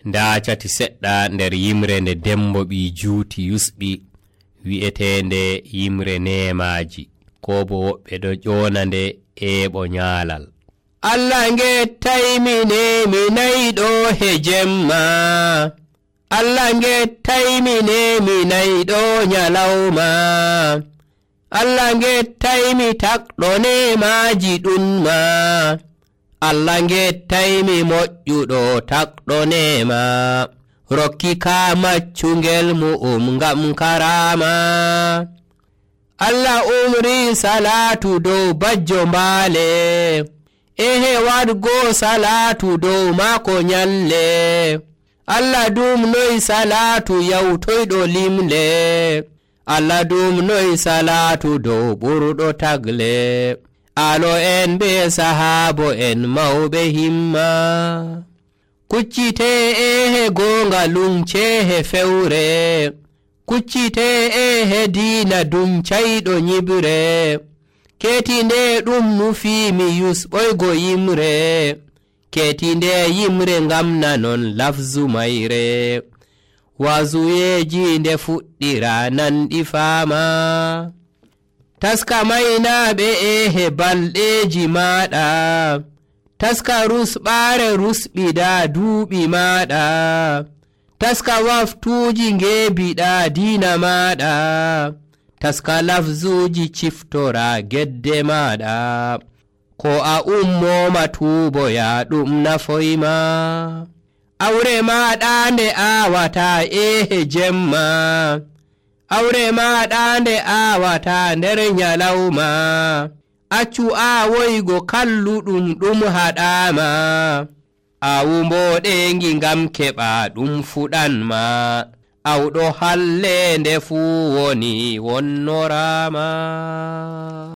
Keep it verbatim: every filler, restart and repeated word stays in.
ndaacati seɗɗa nder yimre nde Dembo ɓi juuti yusɓi wi'etende yimre neemaji ko bo woɓɓe ɗo ƴoona nde eeɓo nyaalal. Allah ngettaymi mi nayiɗo he jemma, Allah ngettaymi mi nayiɗo nyalawma, Allah ngettaymi takɗo neemaji ɗunma, Allah ngettaymi moƴƴuɗo takɗo neema, rokki ka maccungel mu'um ngam karama. Allah umri salatu dow bajjo mbaale, ehe wadgo salatu dow maako nyalle, Allah dumnoy salatu yawtoyɗo limle, Allah dumnoy salatu dow ɓurɗo tagle, alo en be sahaabo en mawɓe himma. Kuccite ehe gonga luncehe fewre, kuccite ehe diina duncayɗo nyibre, ketinde ɗum nufiimi yusɓoygo yimre, ketinde yimre ngam nanon lafzu mayre, wazuyeji nde fuɗɗira nanɗi faama. Taska maynaɓe ehe balɗeji maɗa, taska rusɓaare rusɓiɗa duuɓi maɗa, taska waftuuji ngeebiɗa diina maɗa, taska lafzuuji ciftora gedde maɗa, ko a ummoma tuuboya ɗum nafoyma. Awre maɗa nde aawata ehe jemma, awre maɗa nde aawata nder nyalawma, accu aawoygo kalluɗum ɗum haɗama, awumboɗengi ngam keɓa ɗum fuɗanma, awɗo halle nde fuu woni wonnorama.